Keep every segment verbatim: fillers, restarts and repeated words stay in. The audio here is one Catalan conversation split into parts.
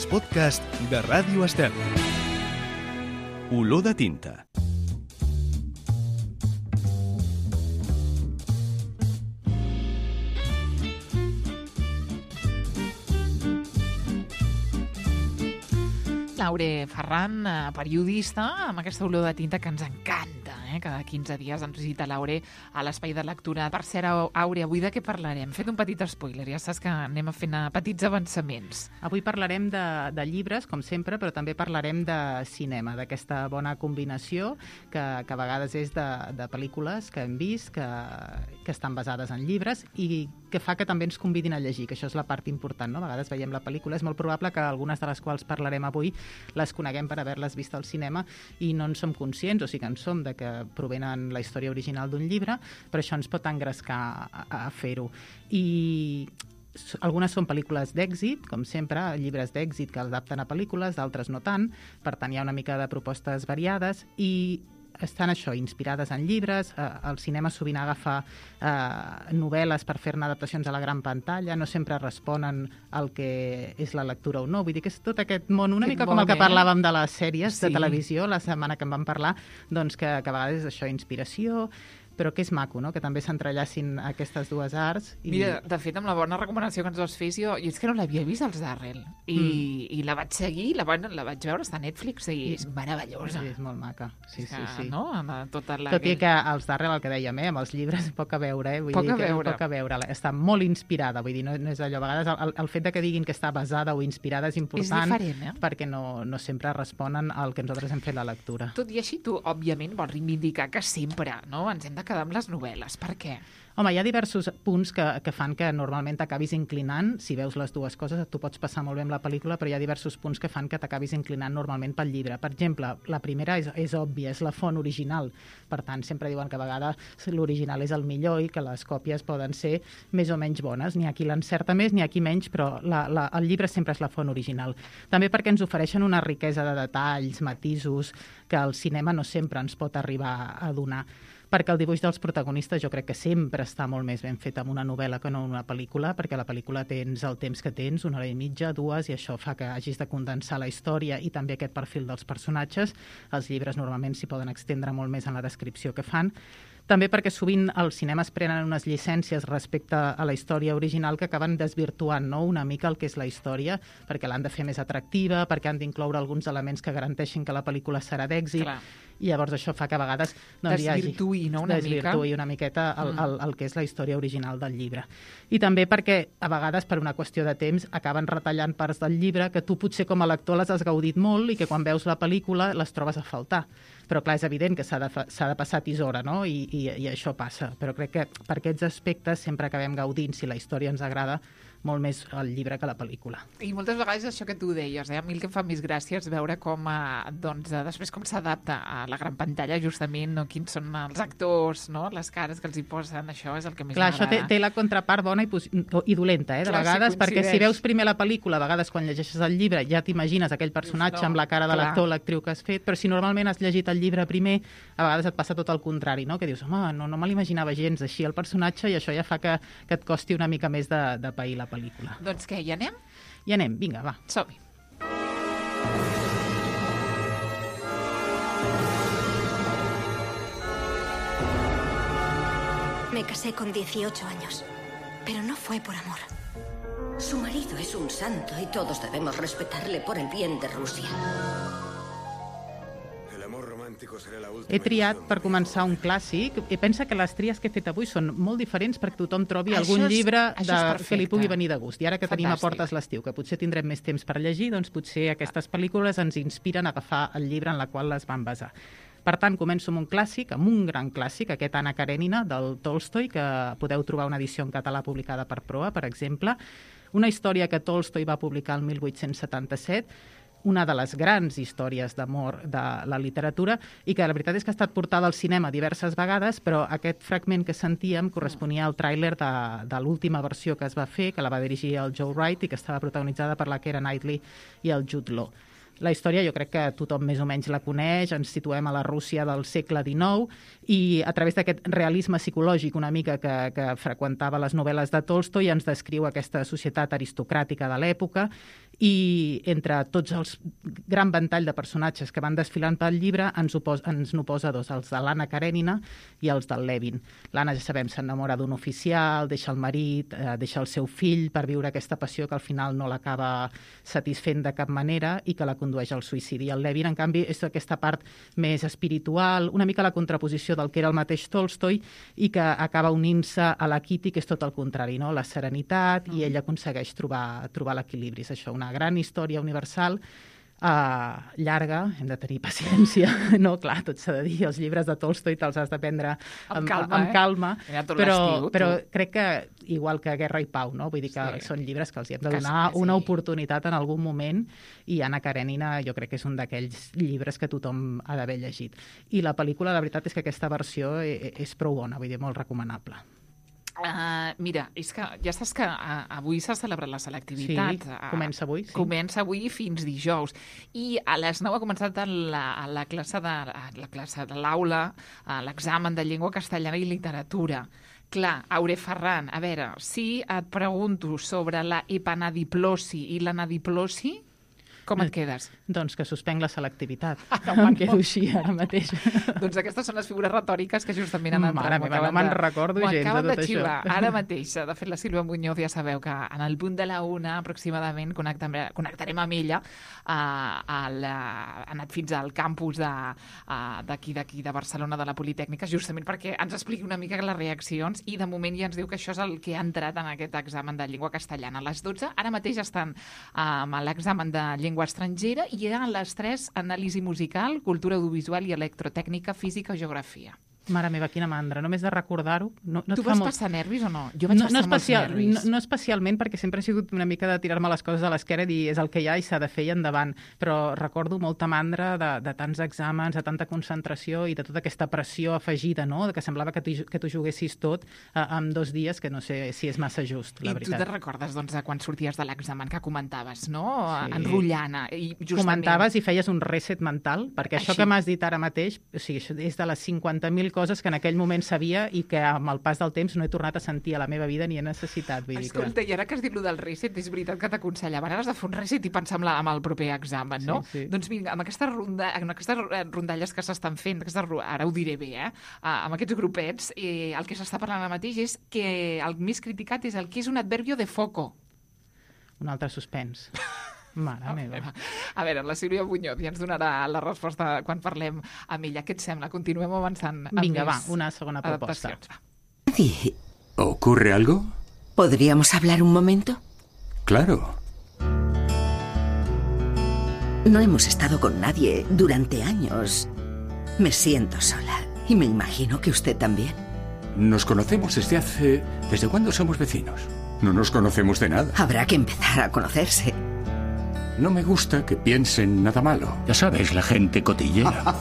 els podcasts de Ràdio Estel. Olor de tinta. Laure Ferran, periodista, amb aquesta olor de tinta que ens encanta, eh? Cada quinze dies ens visita Laure a l'espai de lectura. Per cert, Aure, avui de què parlarem? Hem fet un petit spoiler, ja saps que anem a fer petits avançaments. Avui parlarem de, de llibres, com sempre, però també parlarem de cinema, d'aquesta bona combinació que, que a vegades és de, de pel·lícules que hem vist, que, que estan basades en llibres i que fa que també ens convidin a llegir, que això és la part important, no? A vegades veiem la pel·lícula, és molt probable que algunes de les quals parlarem avui les coneguem per haver-les vist al cinema i no en som conscients, o sigui que en som de que provenen la història original d'un llibre, però això ens pot engrescar a, a fer-ho. I algunes són pel·lícules d'èxit, com sempre, llibres d'èxit que adapten a pel·lícules, d'altres no tant, per tant hi ha una mica de propostes variades i estan això, inspirades en llibres. Eh, el cinema sovint agafa eh, novel·les per fer-ne adaptacions a la gran pantalla, no sempre responen al que és la lectura o no. Vull dir que és tot aquest món, una mica com el que parlàvem de les sèries sí. de televisió la setmana que en vam parlar, doncs que, que a vegades és això, inspiració, però que és maco, no? Que també s'entrellacin aquestes dues arts. I... Mira, de fet, amb la bona recomanació que ens vas fer, jo, jo és que no l'havia vist, els Darrell, i, mm. i la vaig seguir, la, la vaig veure, està a Netflix, i és meravellosa. Sí, és molt maca, sí, sí, sí. No? Tota la... Tot i que els Darrell, el que dèiem, eh, amb els llibres, poc a veure, eh? Vull poc dir a que veure. Poc a veure. Està molt inspirada, vull dir, no, no és allò. A vegades el, el fet de que diguin que està basada o inspirada és important, és diferent, eh? perquè no, no sempre responen al que nosaltres hem fet la lectura. Tot i així, tu, òbviament, vols reivindicar que sempre, no?, ens hem de quedar amb les novel·les. Per què? Home, hi ha diversos punts que, que fan que normalment t'acabis inclinant, si veus les dues coses, tu pots passar molt bé amb la pel·lícula, però hi ha diversos punts que fan que t'acabis inclinant normalment pel llibre. Per exemple, la primera és, és òbvia, és la font original. Per tant, sempre diuen que a vegades l'original és el millor i que les còpies poden ser més o menys bones. N'hi ha qui l'encerta més, n'hi ha qui menys, però la, la, el llibre sempre és la font original. També perquè ens ofereixen una riquesa de detalls, matisos, que el cinema no sempre ens pot arribar a donar. Perquè el dibuix dels protagonistes jo crec que sempre està molt més ben fet amb una novel·la que no en una pel·lícula, perquè la pel·lícula tens el temps que tens, una hora i mitja, dues, i això fa que hagis de condensar la història i també aquest perfil dels personatges. Els llibres normalment s'hi poden extendre molt més en la descripció que fan. També perquè sovint els cinemes prenen unes llicències respecte a la història original que acaben desvirtuant, no?, una mica el que és la història, perquè l'han de fer més atractiva, perquè han d'incloure alguns elements que garanteixin que la pel·lícula serà d'èxit. Clar. I llavors això fa que a vegades doncs, desvirtuï, no, una desvirtuï mica. una miqueta el, el, el que és la història original del llibre. I també perquè a vegades per una qüestió de temps acaben retallant parts del llibre que tu potser com a lector les has gaudit molt i que quan veus la pel·lícula les trobes a faltar. Però clar, és evident que s'ha de, s'ha de passar tisora, no? I, i, i això passa. Però crec que per aquests aspectes sempre acabem gaudint, si la història ens agrada, molt més el llibre que la pel·lícula. I moltes vegades això que tu deies, eh? A mi el que em fa més gràcia és veure com, eh, doncs, després com s'adapta a la gran pantalla, justament, no? Quins són els actors, no? Les cares que els hi posen, això és el que més Clar, m'agrada. Això té, té la contrapart bona i, i dolenta, eh? De Clar, vegades, si perquè si veus primer la pel·lícula, a vegades quan llegeixes el llibre ja t'imagines aquell personatge no, amb la cara de l'actor o l'actriu que has fet, però si normalment has llegit el llibre primer, a vegades et passa tot el contrari, no? Que dius, home, no, no me l'imaginava gens així el personatge i això ja fa que, que et costi una mica més de, de pair la pel·lícula. Doncs què, hi anem? Hi anem, vinga, va. Som-hi. Me casé con dieciocho años, pero no fue por amor. Su marido es un santo y todos debemos respetarle por el bien de Rusia. He triat per començar un clàssic i pensa que les tries que he fet avui són molt diferents perquè tothom trobi això algun és, llibre de, que li pugui perfecte. venir de gust. I ara que Fantàstic. tenim a portes l'estiu, que potser tindrem més temps per llegir, doncs potser aquestes pel·lícules ens inspiren a agafar el llibre en la qual les van basar. Per tant, començo amb un clàssic, amb un gran clàssic, aquest Anna Karenina, del Tolstoi, que podeu trobar una edició en català publicada per Proa, per exemple. Una història que Tolstoi va publicar el mil vuit-cents setanta-set, una de les grans històries d'amor de la literatura i que la veritat és que ha estat portada al cinema diverses vegades, però aquest fragment que sentíem corresponia al tràiler de, de l'última versió que es va fer, que la va dirigir el Joe Wright i que estava protagonitzada per la Keira Knightley i el Jude Law. La història jo crec que tothom més o menys la coneix, ens situem a la Rússia del segle dinou i a través d'aquest realisme psicològic una mica que, que freqüentava les novel·les de Tolstoi ens descriu aquesta societat aristocràtica de l'època i entre tots els gran ventall de personatges que van desfilant pel llibre ens, opos, ens n'oposa dos, els de l'Anna Karenina i els del Levin. L'Anna, ja sabem, s'enamora d'un oficial, deixa el marit, eh, deixa el seu fill per viure aquesta passió que al final no l'acaba satisfent de cap manera i que la condueix al suïcidi. El Levin, en canvi, és aquesta part més espiritual, una mica la contraposició del que era el mateix Tolstoi i que acaba unint-se a la Kitty, que és tot el contrari, no? La serenitat, i ell aconsegueix trobar, trobar l'equilibri. És això, una gran història universal, uh, llarga, hem de tenir paciència, no? Clar, tot s'ha de dir, els llibres de Tolstoi te'ls has de prendre amb, amb calma, amb calma eh? però, però crec que, igual que Guerra i Pau, no? Vull dir que sí. Són llibres que els hi hem de donar sí, sí. una oportunitat en algun moment, i Anna Karenina jo crec que és un d'aquells llibres que tothom ha d'haver llegit. I la pel·lícula, la veritat és que aquesta versió és prou bona, vull dir, molt recomanable. Uh, mira, és que ja saps que uh, avui s'ha celebrat la selectivitat. Sí, comença avui. Sí. Comença avui fins dijous. I a les nou ha començat la, la classe de la classe de l'aula, uh, l'examen de llengua castellana i literatura. Clar, Aure Ferran, a veure, si et pregunto sobre la epanadiplosi i l'anadiplosi, com et quedes? Doncs que suspenc la selectivitat. Ah, no, em quedo així ara mateix. Doncs aquestes són les figures retòriques que justament han entrat. Mare meva, no me'n recordo gens de tot això. Ara mateix. De fet, la Sílvia Muñoz ja sabeu que en el punt de la una aproximadament connectarem amb ella. Ha anat fins al campus d'aquí, d'aquí, de Barcelona, de la Politècnica, justament perquè ens expliqui una mica les reaccions, i de moment ja ens diu que això és el que ha entrat en aquest examen de llengua castellana. A les dotze, ara mateix estan amb l'examen de llengua llengua estrangera, i a les tres, anàlisi musical, cultura audiovisual i electrotècnica, física o geografia. Mare meva, quina mandra, només de recordar-ho. No, no tu vas molt... passar nervis o no? Jo vaig no, passar no especial, molts nervis. No, no especialment, perquè sempre he sigut una mica de tirar-me les coses a l'esquerra i dir és el que hi ha i s'ha de fer i endavant, però recordo molta mandra de, de tants exàmens, de tanta concentració i de tota aquesta pressió afegida, no? Que semblava que tu, que tu juguessis tot eh, en dos dies, que no sé si és massa just, la I veritat. I tu te recordes, doncs, de quan sorties de l'examen que comentaves, no? Sí. Enrotllant. I justament... Comentaves i feies un reset mental, perquè això Així. Que m'has dit ara mateix, o sigui, això és de les cinquanta mil coses que en aquell moment sabia i que amb el pas del temps no he tornat a sentir a la meva vida ni he necessitat. Vull Escolta, dir que... i ara que has dit el del reset, és veritat que t'aconsellaven, has de fer un reset i pensar amb, la, amb el proper examen, no? Sí, sí. Doncs vinga, amb aquestes, ronda, amb aquestes rondalles que s'estan fent, aquestes, ara ho diré bé, eh? amb aquests grupets, eh, el que s'està parlant ara mateix és que el més criticat és el que és un adverbio de foco. Un altre suspens. Mare meva. A veure, la Sílvia Muñoz ja ens donarà la resposta quan parlem amb ella. Què et sembla? Continuem avançant amb Vinga, més va, una segona proposta. ¿Nadie? ¿Ocurre algo? ¿Podríamos hablar un momento? Claro. No hemos estado con nadie durante años. Me siento sola y me imagino que usted también. Nos conocemos desde hace... ¿Desde cuándo somos vecinos? No nos conocemos de nada. Habrá que empezar a conocerse. No me gusta que piensen nada malo. Ya sabes, la gente cotillera.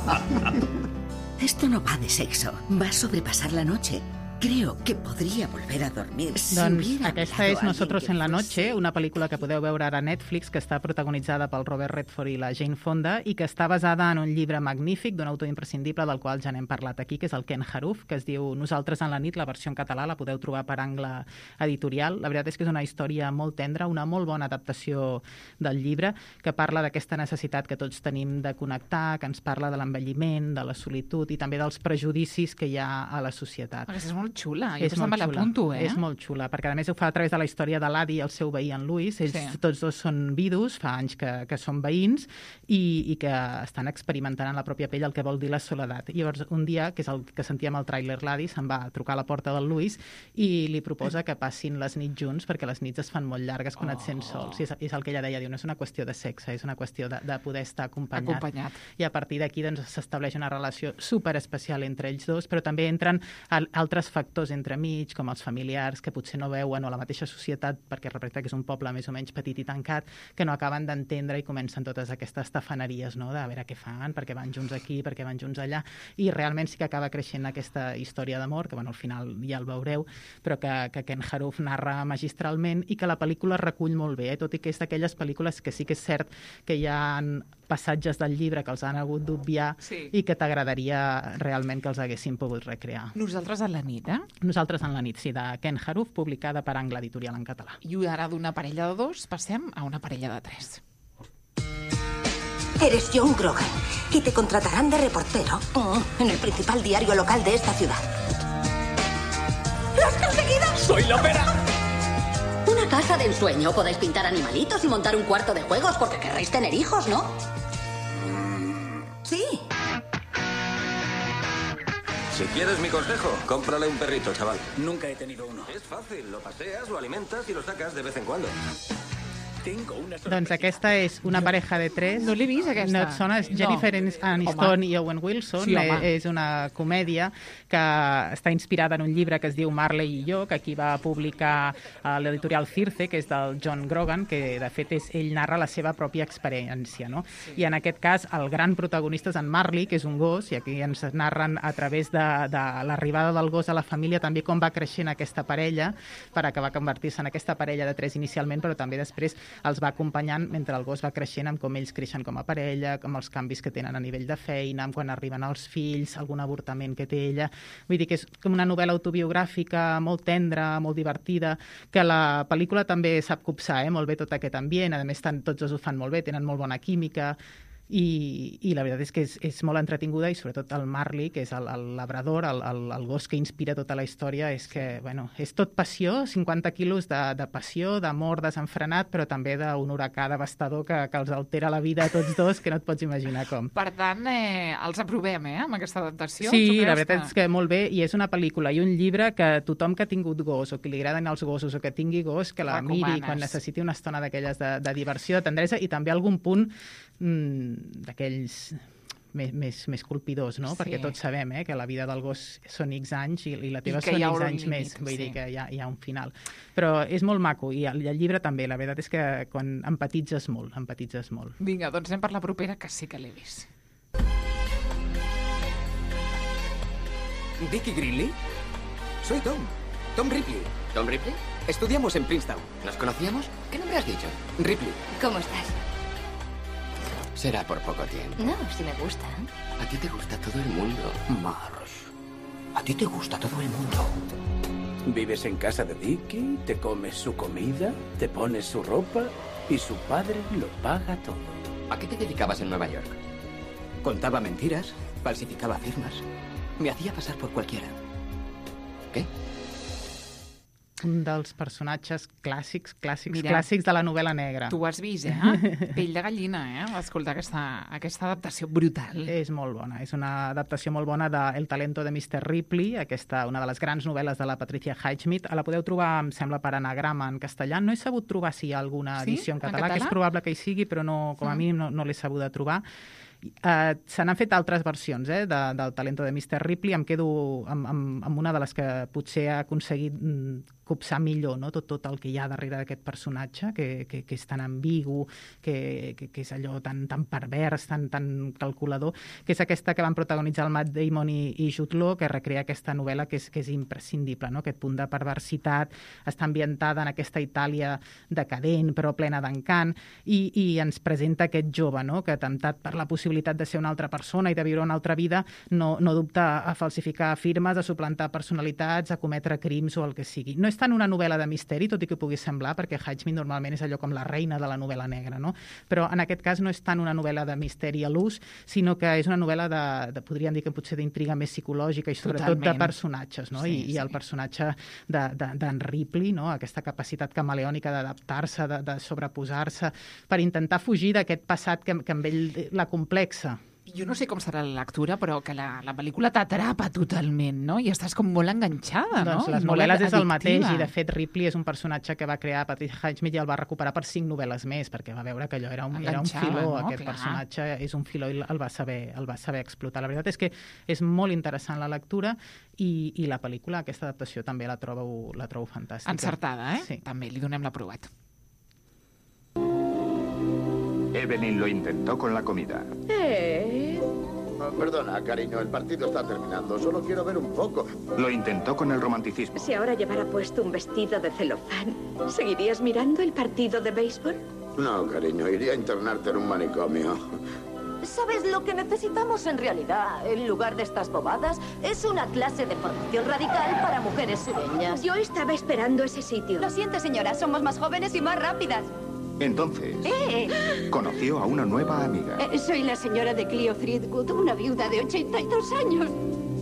Esto no va de sexo. Va a sobrepasar la noche. Creo que podria volver a dormir. Doncs aquesta és Nosotros en la noche, una pel·lícula que podeu veure ara a Netflix, que està protagonitzada pel Robert Redford i la Jane Fonda i que està basada en un llibre magnífic d'un autor imprescindible del qual ja n'hem parlat aquí, que és el Ken Haruf, que es diu Nosaltres en la nit, la versió en català, la podeu trobar per Angle Editorial. La veritat és que és una història molt tendra, una molt bona adaptació del llibre, que parla d'aquesta necessitat que tots tenim de connectar, que ens parla de l'envelliment, de la solitud i també dels prejudicis que hi ha a la societat. Aquesta és molt xula, jo també l'apunto, eh? És molt xula, perquè a més ho fa a través de la història de l'Adi i el seu veí en Louis. Ells sí. Tots dos són vidus, fa anys que, que són veïns i, i que estan experimentant en la pròpia pell el que vol dir la soledat. I llavors un dia, que és el que sentíem al tràiler, l'Adi se'n va a trucar a la porta del Louis i li proposa que passin les nits junts perquè les nits es fan molt llargues quan oh. et sents sols. I és, és el que ella deia, diu, no és una qüestió de sexe, és una qüestió de, de poder estar acompanyat. acompanyat. I a partir d'aquí doncs, s'estableix una relació superespecial entre ells dos, però també entren altres factors entremig, com els familiars que potser no veuen, o la mateixa societat, perquè representa que és un poble més o menys petit i tancat, que no acaben d'entendre i comencen totes aquestes tafaneries, no? De a veure què fan, perquè van junts aquí, perquè van junts allà, i realment sí que acaba creixent aquesta història d'amor, que bueno, al final ja el veureu, però que, que Ken Haruf narra magistralment i que la pel·lícula recull molt bé, eh? Tot i que és d'aquelles pel·lícules que sí que és cert que hi ha passatges del llibre que els han hagut d'obviar sí. I que t'agradaria realment que els haguessin pogut recrear. Nosaltres a la nit, ara? Nosaltres en la nit, sí, de Ken Haruf, publicada per Angla Editorial en català. I ara d'una parella de dos passem a una parella de tres. Eres John Grogan y te contratarán de reportero en el principal diario local de esta ciudad. ¡Lo has conseguido! ¡Soy la pera! Una casa de ensueño. Podéis pintar animalitos y montar un cuarto de juegos porque querréis tener hijos, ¿no? Sí. Si quieres mi consejo, cómprale un perrito, chaval. Nunca he tenido uno. Es fácil, lo paseas, lo alimentas y lo sacas de vez en cuando. Tengo una Doncs aquesta és una pareja de tres. No l'he vist, aquesta. No et sona? És Jennifer No. Aniston Home. i Owen Wilson. Sí, home. Eh, és una comèdia que està inspirada en un llibre que es diu Marley i jo, que aquí va publicar a l'editorial Circe, que és del John Grogan, que de fet és, ell narra la seva pròpia experiència, no? Sí. I en aquest cas el gran protagonista és en Marley, que és un gos, i aquí ens narren a través de, de l'arribada del gos a la família també com va creixent aquesta parella per acabar convertir-se en aquesta parella de tres inicialment, però també després els va acompanyant mentre el gos va creixent, amb com ells creixen com a parella, amb els canvis que tenen a nivell de feina, amb quan arriben els fills, algun avortament que té ella. Vull dir que és com una novel·la autobiogràfica molt tendra, molt divertida, que la pel·lícula també sap copsar, eh? Molt bé tot aquest ambient, a més tant, tots dos ho fan molt bé, tenen molt bona química, i, i la veritat és que és, és molt entretinguda, i sobretot el Marley, que és el, el labrador, el, el, el gos que inspira tota la història, és que, bueno, és tot passió, cinquanta quilos de, de passió, d'amor desenfrenat, però també d'un huracà devastador que, que els altera la vida a tots dos, que no et pots imaginar com. Per tant, eh, els aprovem, eh, amb aquesta adaptació. Sí, la veritat és que molt bé, i és una pel·lícula i un llibre que tothom que ha tingut gos o que li agraden els gossos o que tingui gos, que la Recomanes. miri quan necessiti una estona d'aquelles de, de diversió, de tendresa, i també algun punt mmm, d'aquells més, més, més colpidors, no? Sí. Perquè tots sabem eh, que la vida del gos són X anys i, i la teva I que són hi ha X un anys límit, més. Vull sí. dir que hi ha, hi ha un final. Però és molt maco, i el, i el llibre també. La veritat és que quan empatitzes molt, empatitzes molt. Vinga, doncs anem per la propera, que sí que l'he vist. ¿Vicky Greenlee? Soy Tom. Tom Ripley. ¿Tom Ripley? Estudiamos en Princeton. ¿Nos conocíamos? ¿Qué nombre has dicho? Ripley. ¿Cómo estás? Será por poco tiempo. No, si me gusta. A ti te gusta todo el mundo. Marsh, a ti te gusta todo el mundo. Vives en casa de Vicky, te comes su comida, te pones su ropa y su padre lo paga todo. ¿A qué te dedicabas en Nueva York? Contaba mentiras, falsificaba firmas. Me hacía pasar por cualquiera. ¿Qué? Un dels personatges clàssics, clàssics, Mira, clàssics de la novel·la negra. Tu ho has vist, eh? Pell de gallina, eh? Escolta aquesta, aquesta adaptació brutal. És molt bona, és una adaptació molt bona de El talento de mister Ripley, aquesta, una de les grans novel·les de la Patricia Highsmith. La podeu trobar, em sembla, per anagrama en castellà. No he sabut trobar si hi ha alguna Sí? edició en En català, català? que és probable que hi sigui, però no, com a Mm. mínim no, no l'he sabut trobar. Uh, se n'han fet altres versions eh, de, del talento de mister Ripley. Em quedo amb, amb, amb una de les que potser ha aconseguit mm, copsar millor, no? tot, tot el que hi ha darrere d'aquest personatge, que, que, que és tan ambigu, que, que, que és allò tan, tan pervers, tan, tan calculador, que és aquesta que van protagonitzar el Matt Damon i, i Jude Law, que recrea aquesta novel·la que és, que és imprescindible, no? Aquest punt de perversitat, està ambientada en aquesta Itàlia decadent, però plena d'encant, i, i ens presenta aquest jove, no? Que temptat per la possibilitat de ser una altra persona i de viure una altra vida, no, no dubta a falsificar firmes, a suplantar personalitats, a cometre crims o el que sigui. No és tant una novel·la de misteri, tot i que pugui semblar, perquè Highsmith normalment és allò com la reina de la novel·la negra, no? Però en aquest cas no és tant una novel·la de misteri a l'ús, sinó que és una novel·la de, de podríem dir que potser d'intriga més psicològica i sobretot Totalment. de personatges, no? Sí, I, sí. I el personatge d'en de, de, Ripley, no? Aquesta capacitat camaleònica d'adaptar-se, de, de sobreposar-se, per intentar fugir d'aquest passat que, que amb ell la complexa. Jo no sé com serà la lectura, però que la, la pel·lícula t'atrapa totalment, no? I estàs com molt enganxada, no? Doncs les Molt novel·les és el addictiva. mateix, i de fet Ripley és un personatge que va crear Patricia Highsmith i el va recuperar per cinc novel·les més, perquè va veure que allò era un, era un Enganxava, filó, no? aquest Clar. personatge és un filó i el va, saber, el va saber explotar. La veritat és que és molt interessant la lectura, i, i la pel·lícula, aquesta adaptació també la trobo, la trobo fantàstica. Encertada, eh? Sí. També li donem l'aprovat. Evelyn lo intentó con la comida. Eh... Perdona, cariño, el partido está terminando. Solo quiero ver un poco. Lo intentó con el romanticismo. Si ahora llevara puesto un vestido de celofán, ¿seguirías mirando el partido de béisbol? No, cariño, iría a internarte en un manicomio. ¿Sabes lo que necesitamos en realidad? En lugar de estas bobadas, es una clase de formación radical para mujeres sureñas. Yo estaba esperando ese sitio. Lo siento, señora, somos más jóvenes y más rápidas. Entonces, ¡Eh! conoció a una nueva amiga. Eh, soy la señora de Cleo Friedgood, una viuda de ochenta y dos años.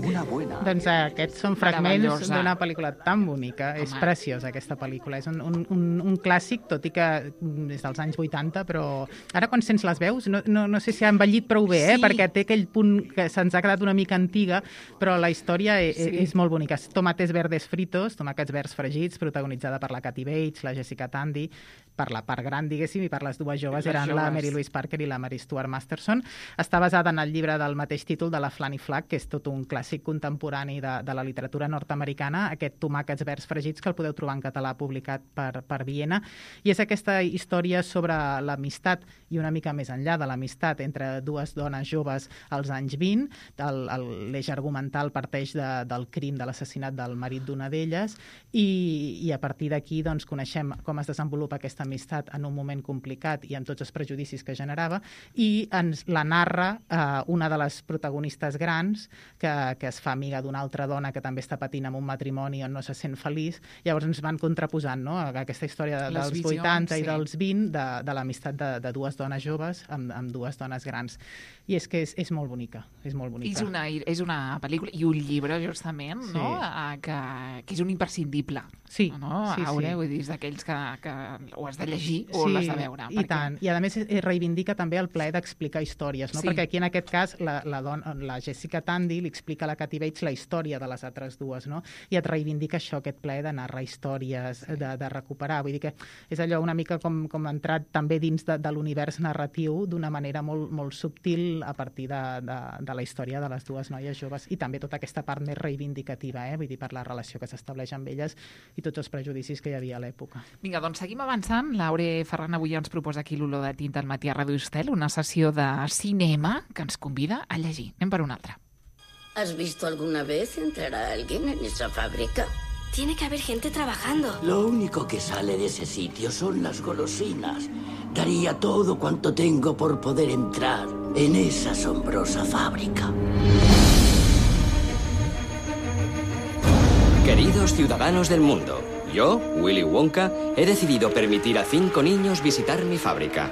Una buena. Doncs eh, aquests són fragments d'una pel·lícula tan bonica. Home. És preciosa, aquesta pel·lícula. És un, un, un, un clàssic, tot i que és dels anys vuitanta, però ara quan sents les veus, no, no, no sé si ha envellit prou bé, eh? Sí. Perquè té aquell punt que se'ns ha quedat una mica antiga, però la història és, sí. és molt bonica. Tomates verdes fritos, tomàquets verds fregits, protagonitzada per la Kathy Bates, la Jessica Tandy, per la part gran, diguéssim, i per les dues joves les eren joves. La Mary Louise Parker i la Mary Stuart Masterson. Està basada en el llibre del mateix títol de la Flanny Flack, que és tot un clàssic contemporani de, de la literatura nord-americana, aquest Tomàquets verds fregits, que el podeu trobar en català publicat per, per Viena, i és aquesta història sobre l'amistat i una mica més enllà de l'amistat entre dues dones joves als anys vint. L'eix argumental parteix de, del crim, de l'assassinat del marit d'una d'elles, i, i a partir d'aquí doncs, coneixem com es desenvolupa aquesta amistat en un moment complicat i amb tots els prejudicis que generava, i ens la narra eh, una de les protagonistes grans que, que es fa amiga d'una altra dona que també està patint amb un matrimoni on no se sent feliç. Llavors ens van contraposant, no?, aquesta història de, dels visions, vuitanta sí. i dels vint, de, de l'amistat de, de dues dones joves amb, amb dues dones grans. I és que és, és molt bonica, és molt bonica. És una, és una pel·lícula i un llibre, justament, sí. no?, que, que és un imprescindible. Sí, no? sí, Aure, sí. Vull dir, és d'aquells que, que ho has de llegir o sí, l'has de veure. I perquè... tant. I a més reivindica també el plaer d'explicar històries, no? Sí. Perquè aquí en aquest cas la, la, dona, la Jessica Tandy li explica a la Kathy Bates la història de les altres dues, no? I et reivindica això, aquest plaer de narrar històries, sí. de, de recuperar. Vull dir que és allò una mica com, com entrat també dins de, de l'univers narratiu d'una manera molt, molt subtil a partir de, de, de la història de les dues noies joves, i també tota aquesta part més reivindicativa, eh? Vull dir, per la relació que s'estableix amb elles i tots els prejudicis que hi havia a l'època. Vinga, doncs seguim avançant. L'Aure Ferran avui ens proposa aquí l'olor de tinta al matí a Ràdio Estel, una sessió de cinema que ens convida a llegir. Anem per una altra. ¿Has visto alguna vez entrar a alguien en esa fábrica? Tiene que haber gente trabajando. Lo único que sale de ese sitio son las golosinas. Daría todo cuanto tengo por poder entrar en esa asombrosa fábrica. Queridos ciudadanos del mundo, yo, Willy Wonka, he decidido permitir a cinco niños visitar mi fábrica.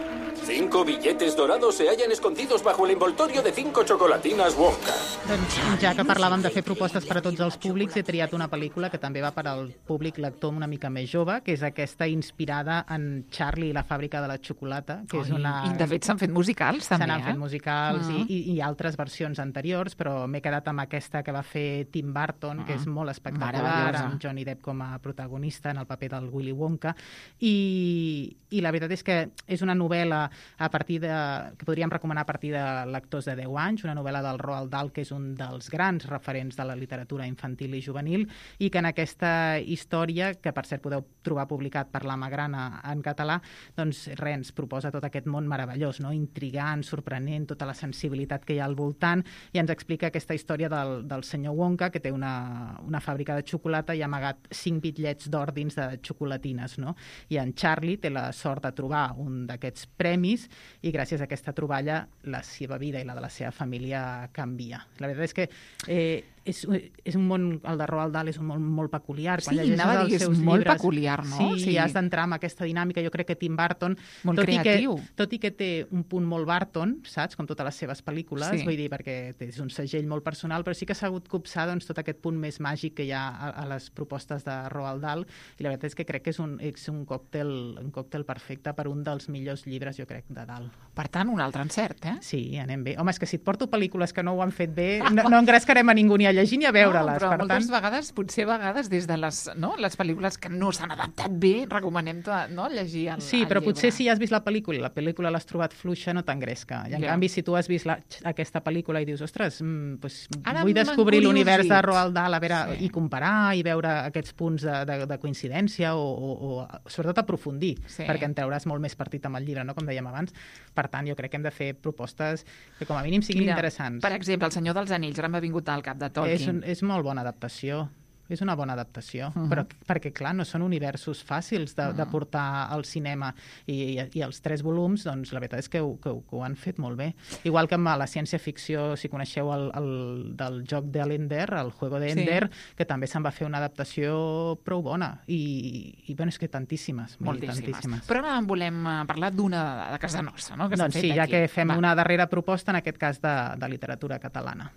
Cinco billetes dorados se hallan escondidos bajo el envoltorio de cinco chocolatinas Wonka. Doncs ja que parlàvem de fer propostes per a tots els públics, he triat una pel·lícula que també va per al públic lector una mica més jove, que és aquesta inspirada en Charlie i la fàbrica de la xocolata, que és una... I de fet s'han fet musicals, també, Se n'han eh? fet musicals uh-huh. i, i, i altres versions anteriors, però m'he quedat amb aquesta que va fer Tim Burton, uh-huh. que és molt espectacular, amb Johnny Depp com a protagonista en el paper del Willy Wonka, i, i la veritat és que és una novel·la a partir de, que podríem recomanar a partir de lectors de deu anys, una novel·la del Roald Dahl, que és un dels grans referents de la literatura infantil i juvenil, i que en aquesta història, que per cert podeu trobar publicat per la Magrana en català, doncs res, ens proposa tot aquest món meravellós, no? Intrigant, sorprenent, tota la sensibilitat que hi ha al voltant, i ens explica aquesta història del, del senyor Wonka, que té una, una fàbrica de xocolata i ha amagat cinc bitllets d'or dins de xocolatines, no? I en Charlie té la sort de trobar un d'aquests premis, i gràcies a aquesta troballa la seva vida i la de la seva família canvia. La veritat és que eh, és, és un món, el de Roald Dahl és un món molt peculiar. Quan sí, anava a dir, és molt llibres, peculiar, no? Sí, sí, has d'entrar amb aquesta dinàmica. Jo crec que Tim Burton, molt tot creatiu. I que, tot i que té un punt molt Burton, saps, com totes les seves pel·lícules, sí. Vull dir, perquè és un segell molt personal, però sí que s'ha hagut copsar doncs, tot aquest punt més màgic que hi ha a, a les propostes de Roald Dahl, i la veritat és que crec que és un, és un, còctel, un còctel perfecte per un dels millors llibres, jo crec, de Dahl. Per tant, un altre encert, eh? Sí, anem bé. Home, és que si et porto pel·lícules que no ho han fet bé, no, no engrescarem a ningú ni a llegir ni a veure-les. No, però per moltes tant... vegades, potser a vegades, des de les, no, les pel·lícules que no s'han adaptat bé, recomanem to, no, llegir el, sí, el però llibre. Potser si has vist la pel·lícula i la pel·lícula l'has trobat fluixa, no t'engresca. I en yeah. canvi, si tu has vist la, aquesta pel·lícula i dius, ostres, mm, pues, vull descobrir l'univers de Roald Dahl, a veure, sí. i comparar i veure aquests punts de, de, de coincidència o, o, o sobretot aprofundir, sí. perquè en trauràs molt més partit amb el llibre, no? Com dèiem abans. Per tant, jo crec que hem de fer propostes que com a mínim siguin Mira, interessants. Per exemple, El Senyor dels Anells, ara m'ha vingut al cap de Tolkien. És, un, és molt bona adaptació. és una bona adaptació, Uh-huh. però perquè, clar, no són universos fàcils de, de portar al cinema, i, i, i els tres volums, doncs, la veritat és que ho, que, ho, que ho han fet molt bé. Igual que amb la ciència-ficció, si coneixeu el, el del joc d'Ender, el Juego de Ender, sí. que també se'n va fer una adaptació prou bona, i, i bueno, és que tantíssimes, moltíssimes. tantíssimes. Però ara en volem parlar d'una de casa nostra, no? Que doncs sí, ja aquí. que fem va. una darrera proposta, en aquest cas de, de literatura catalana.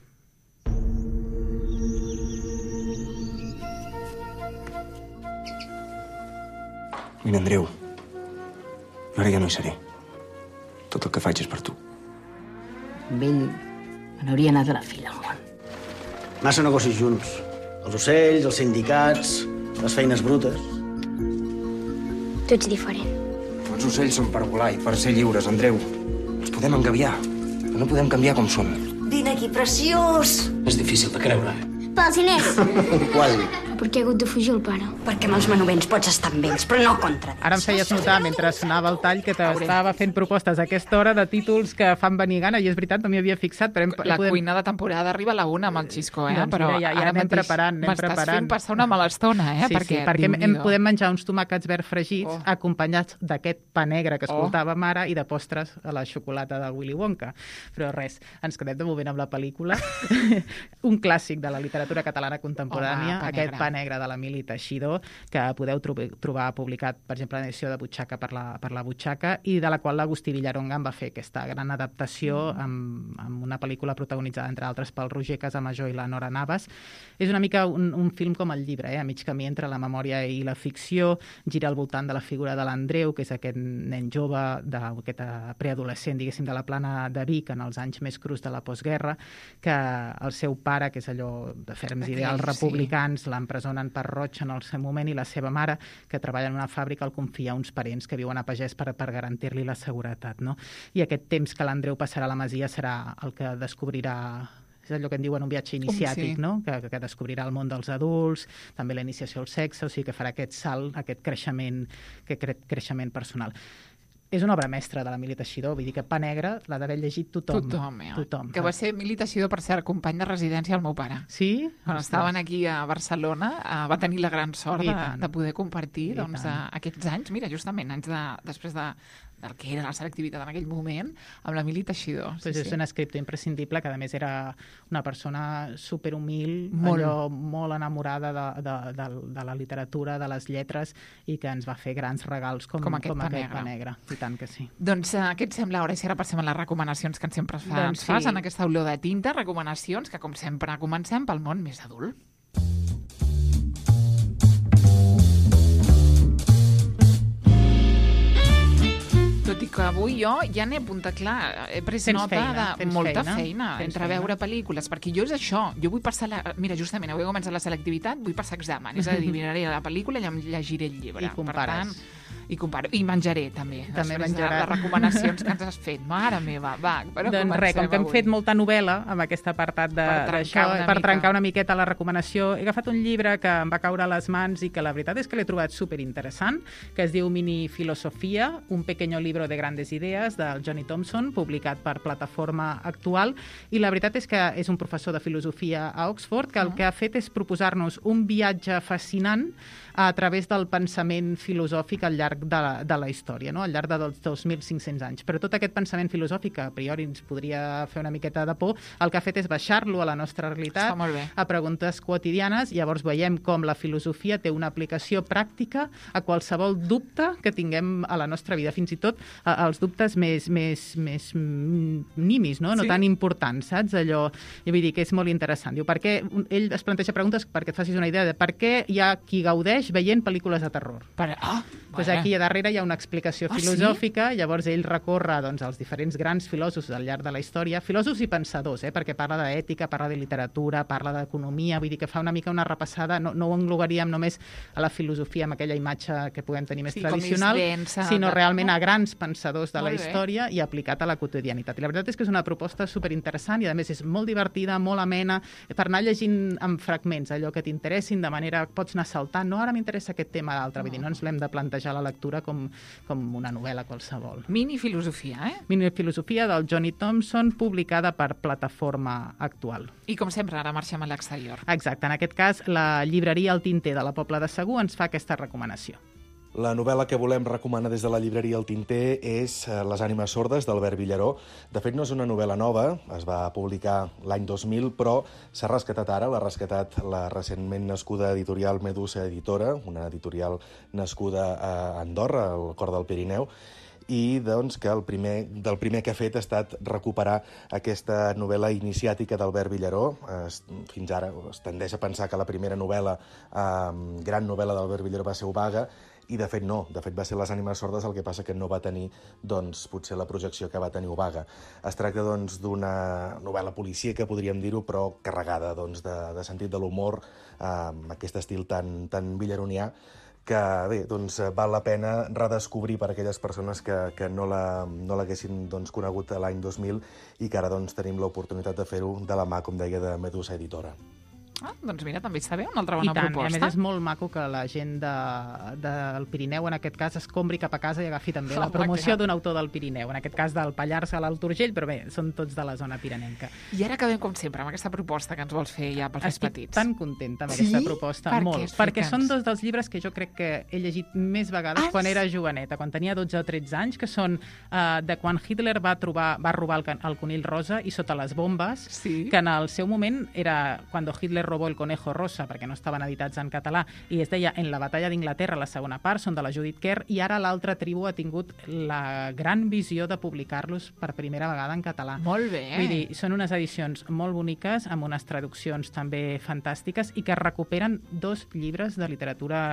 Mira, Andreu, ara ja no hi seré. Tot el que faig és per tu. Amb ell me n'hauria anat a la filla al món. Massa negocis junts. Els ocells, els sindicats, les feines brutes. Tu ets diferent. Els ocells són per volar i per ser lliures, Andreu. Ens podem engabiar, però no podem canviar com som. Vine aquí, preciós! És difícil de creure. Pels diners! Quasi. Per què ha hagut de fugir el pare? Perquè amb els manovents pots estar amb ells, però no contra ells. Ara em feies notar, mentre sonava el tall, que t'estava fent propostes a aquesta hora de títols que fan venir gana, i és veritat, no m'hi havia fixat. Però hem, la podem... cuina de temporada arriba a la una amb el Xisco, eh? Doncs però mira, ja, ja ara anem preparant, anem m'estàs preparant. fent passar una mala estona, eh? Sí, perquè, sí, perquè hem, hem, podem menjar uns tomàquets verds fregits, oh. acompanyats d'aquest pa negre que escoltàvem ara, i de postres a la xocolata del Willy Wonka. Però res, ens quedem de moment amb la pel·lícula. Un clàssic de la literatura catalana contemporània, Home, pa aquest negre. pa negre de l'Emili Teixidor, que podeu trobar, trobar publicat, per exemple, en edició de Butxaca per la, per la Butxaca, i de la qual l'Agustí Villaronga en va fer aquesta gran adaptació mm. amb, amb una pel·lícula protagonitzada, entre altres, pel Roger Casamajor i la Nora Navas. És una mica un, un film com el llibre, eh? A mig camí entre la memòria i la ficció, gira al voltant de la figura de l'Andreu, que és aquest nen jove, aquest preadolescent, diguéssim, de la plana de Vic, en els anys més crus de la postguerra, que el seu pare, que és allò de ferms Aquell, ideals republicans, sí. l'empresonen per roig en el seu moment, i la seva mare, que treballa en una fàbrica, el confia a uns parents que viuen a Pagès per, per garantir-li la seguretat, no? I aquest temps que l'Andreu passarà a la Masia serà el que descobrirà, és allò que en diuen un viatge iniciàtic, sí. no? que, que descobrirà el món dels adults, també la iniciació al sexe, o sigui que farà aquest salt, aquest creixement, aquest cre creixement personal. És una obra mestra de l'Emili Teixidor, vull dir que Pa Negre l'ha d'haver llegit tothom. Tothom, eh? tothom. Que va ser Emili Teixidor, per cert, company de residència del meu pare. Sí? Quan estaven aquí a Barcelona, eh, va tenir la gran sort de, de poder compartir doncs, a, aquests anys, mira, justament, anys de, després de, del que era la selectivitat en aquell moment, amb l'Emili Teixidor. Sí, pues és sí. un escriptor imprescindible, que a més era una persona superhumil, molt. allò molt enamorada de, de, de, de la literatura, de les lletres, i que ens va fer grans regals com, com aquest, com pa, aquest negre. pa negre. I tant que sí. Doncs uh, què et sembla ara si ara passem a les recomanacions que sempre fa, doncs sí. fas en aquesta olor de tinta, recomanacions que com sempre comencem pel món més adult. Tot i que avui jo ja n'he apuntat, clar, he pres tens nota feina, de molta feina, feina entre feina. veure pel·lícules, perquè jo és això, jo vull passar, la, mira, justament, avui comença la selectivitat, vull passar examen, és a dir, miraré la pel·lícula i em llegiré el llibre. I compares. Per tant, i comparo. I menjaré, també. També després menjarà. de les recomanacions que ens has fet. Mare meva, va. Però doncs res, com que hem avui. fet molta novel·la amb aquest apartat d'això, per, per trencar una miqueta la recomanació, he agafat un llibre que em va caure a les mans i que la veritat és que l'he trobat superinteressant, que es diu Mini Filosofia, un pequeño libro de grandes ideas, del Johnny Thompson, publicat per Plataforma Actual, i la veritat és que és un professor de filosofia a Oxford, que el que ha fet és proposar-nos un viatge fascinant a través del pensament filosòfic al llarg de la, de la història, no? Al llarg dels dos mil cinc-cents anys. Però tot aquest pensament filosòfic, que a priori ens podria fer una miqueta de por, el que ha fet és baixar-lo a la nostra realitat, a preguntes quotidianes, i llavors veiem com la filosofia té una aplicació pràctica a qualsevol dubte que tinguem a la nostra vida, fins i tot als dubtes més, més, més nimis, no? No sí. tan importants, saps? Allò, i vull dir que és molt interessant. Diu, per què, ell es planteja preguntes perquè et facis una idea de per què hi ha qui gaudeix veient pel·lícules de terror. Per... Ah, pues aquí a darrere hi ha una explicació ah, filosòfica, sí? llavors ell recorre doncs, els diferents grans filòsofs al llarg de la història, filòsofs i pensadors, eh, perquè parla d'ètica, parla de literatura, parla d'economia, vull dir que fa una mica una repassada, no, no ho englobaríem només a la filosofia amb aquella imatge que puguem tenir més sí, tradicional, densa, sinó de... realment a grans pensadors de molt la història bé. I aplicat a la quotidianitat. I la veritat és que és una proposta superinteressant i a més és molt divertida, molt amena, per anar llegint en fragments allò que t'interessin, de manera que pots anar saltant, no, ara m'interessa aquest tema d'altre, vull dir, no ens l'hem de plantejar plantejar la lectura com, com una novel·la qualsevol. Minifilosofia, eh? Minifilosofia del Johnny Thompson, publicada per Plataforma Actual. I com sempre, ara marxem a l'exterior. Exacte, en aquest cas la llibreria El Tinter de la Pobla de Segur ens fa aquesta recomanació. La novel·la que volem recomanar des de la llibreria El Tinter és Les ànimes sordes d'Albert Villaró. De fet, no és una novel·la nova, es va publicar l'any dos mil, però s'ha rescatat ara, l'ha rescatat la recentment nascuda editorial Medusa Editora, una editorial nascuda a Andorra, al cor del Pirineu, i doncs, que el primer, del primer que ha fet ha estat recuperar aquesta novel·la iniciàtica d'Albert Villaró. Es, fins ara es tendeix a pensar que la primera novel·la, eh, gran novel·la d'Albert Villaró va ser Obaga, i de fet no, de fet va ser Les ànimes sordes, el que passa que no va tenir doncs, potser la projecció que va tenir Obaga. Es tracta doncs, d'una novel·la policíaca, podríem dir-ho, però carregada doncs, de, de sentit de l'humor, eh, amb aquest estil tan, tan villaronià, que bé, doncs, val la pena redescobrir per a aquelles persones que, que no l'haguessin no doncs, conegut l'any dos mil i que ara doncs, tenim l'oportunitat de fer-ho de la mà, com deia, de Medusa Editora. Ah, doncs mira, també està bé, una altra bona I tant, proposta. I a més és molt maco que la gent de, del Pirineu, en aquest cas, es compri cap a casa i agafi també la promoció d'un autor del Pirineu, en aquest cas del Pallars a l'Alt Urgell, però bé, són tots de la zona pirinenca. I ara acabem, com sempre, amb aquesta proposta que ens vols fer ja pels Estic petits. Estic tan contenta amb sí? aquesta proposta, per molt, perquè són dos dels llibres que jo crec que he llegit més vegades ah, quan era joveneta, quan tenia dotze o tretze anys, que són uh, de quan Hitler va, trobar, va robar el, el conill rosa i sota les bombes, sí? que en el seu moment era quan Hitler robó el conejo rosa, perquè no estaven editats en català, i es deia En la batalla d'Inglaterra, la segona part, són de la Judith Kerr, i ara l'altra tribu ha tingut la gran visió de publicar-los per primera vegada en català. Molt bé. Vull dir, són unes edicions molt boniques, amb unes traduccions també fantàstiques, i que recuperen dos llibres de literatura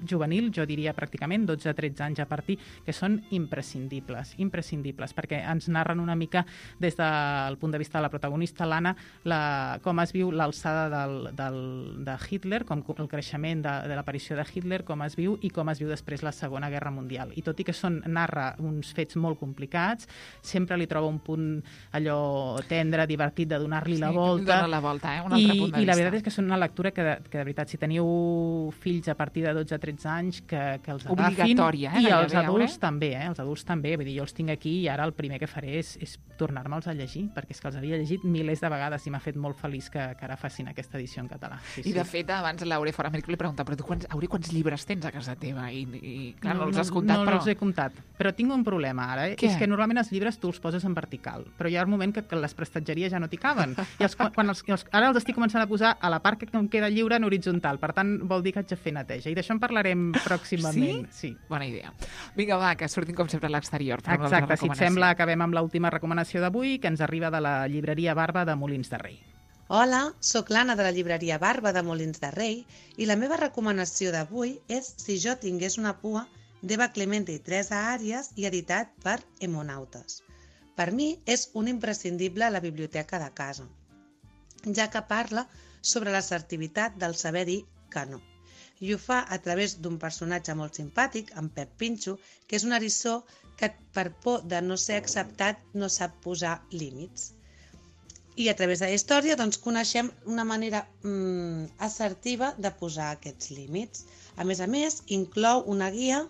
juvenil, jo diria pràcticament dotze a tretze anys a partir, que són imprescindibles, imprescindibles, perquè ens narren una mica des del punt de vista de la protagonista, l'Anna, la, com es viu l'alçada del, del, de Hitler, com el creixement de, de l'aparició de Hitler, com es viu i com es viu després la Segona Guerra Mundial. I tot i que són, narra uns fets molt complicats, sempre li troba un punt allò tendre, divertit, de donar-li sí, la volta. la volta, eh? Un altre I, punt de I la vista. veritat és que són una lectura que, de, que de veritat, si teniu fills a partir de dotze a tretze anys, que, que els agafin. Obligatòria, eh? I els adults eh? també, eh? Els adults també. Vull dir, jo els tinc aquí i ara el primer que faré és, és tornar-me'ls a llegir, perquè és que els havia llegit milers de vegades i m'ha fet molt feliç que, que ara facin aquesta edició en català. Sí, I de sí. fet, abans l'Aure fora Amèrica li pregunta, però tu quants, Aure, quants llibres tens a casa teva? I, i clar, no, no els has comptat, no, però... No els he comptat, però tinc un problema ara, eh? Què? És que normalment els llibres tu els poses en vertical, però hi ha un moment que, que les prestatgeries ja no t'hi caben. I els, quan els, els, ara els estic començant a posar a la part que em queda lliure en horitzontal, per tant vol dir que haig de fer neteja. I d'això en parlarem pròximament. Sí? Sí. Bona idea. Vinga, va, que sortim com sempre a l'exterior. Exacte, si et sembla, acabem amb l'última recomanació d'avui, que ens arriba de la llibreria Barba de Molins de Rei. Hola, sóc l'Anna de la llibreria Barba de Molins de Rei i la meva recomanació d'avui és Si jo tingués una pua, d'Eva Clemente i Teresa Àrias i editat per Hemonautes. Per mi és un imprescindible a la biblioteca de casa, ja que parla sobre l'assertivitat del saber dir que no. I ho fa a través d'un personatge molt simpàtic, en Pep Pinxo, que és un eriçó que per por de no ser acceptat no sap posar límits. I a través de la història doncs, coneixem una manera mm, assertiva de posar aquests límits. A més a més, inclou una guia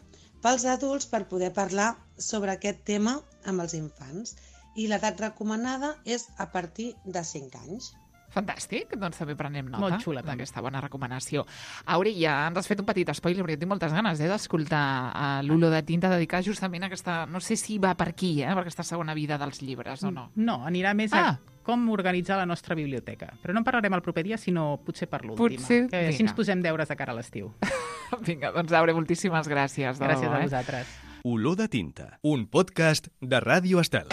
pels adults per poder parlar sobre aquest tema amb els infants. I l'edat recomanada és a partir de cinc anys. Fantàstic, doncs també prenem nota Molt xula, d'aquesta bona recomanació. Auri, ja ens has fet un petit spoiler, perquè tinc moltes ganes eh, d'escoltar uh, l'Olor de tinta dedicat justament a aquesta, no sé si va per aquí, eh, per aquesta segona vida dels llibres o no. No, anirà més ah. a com organitzar la nostra biblioteca. Però no en parlarem el proper dia, sinó potser per l'última. Potser, que així ens posem deures de cara a l'estiu. Vinga, doncs Aure, moltíssimes gràcies. Gràcies debò, a eh? vosaltres. Olor de tinta, un podcast de Ràdio Estel.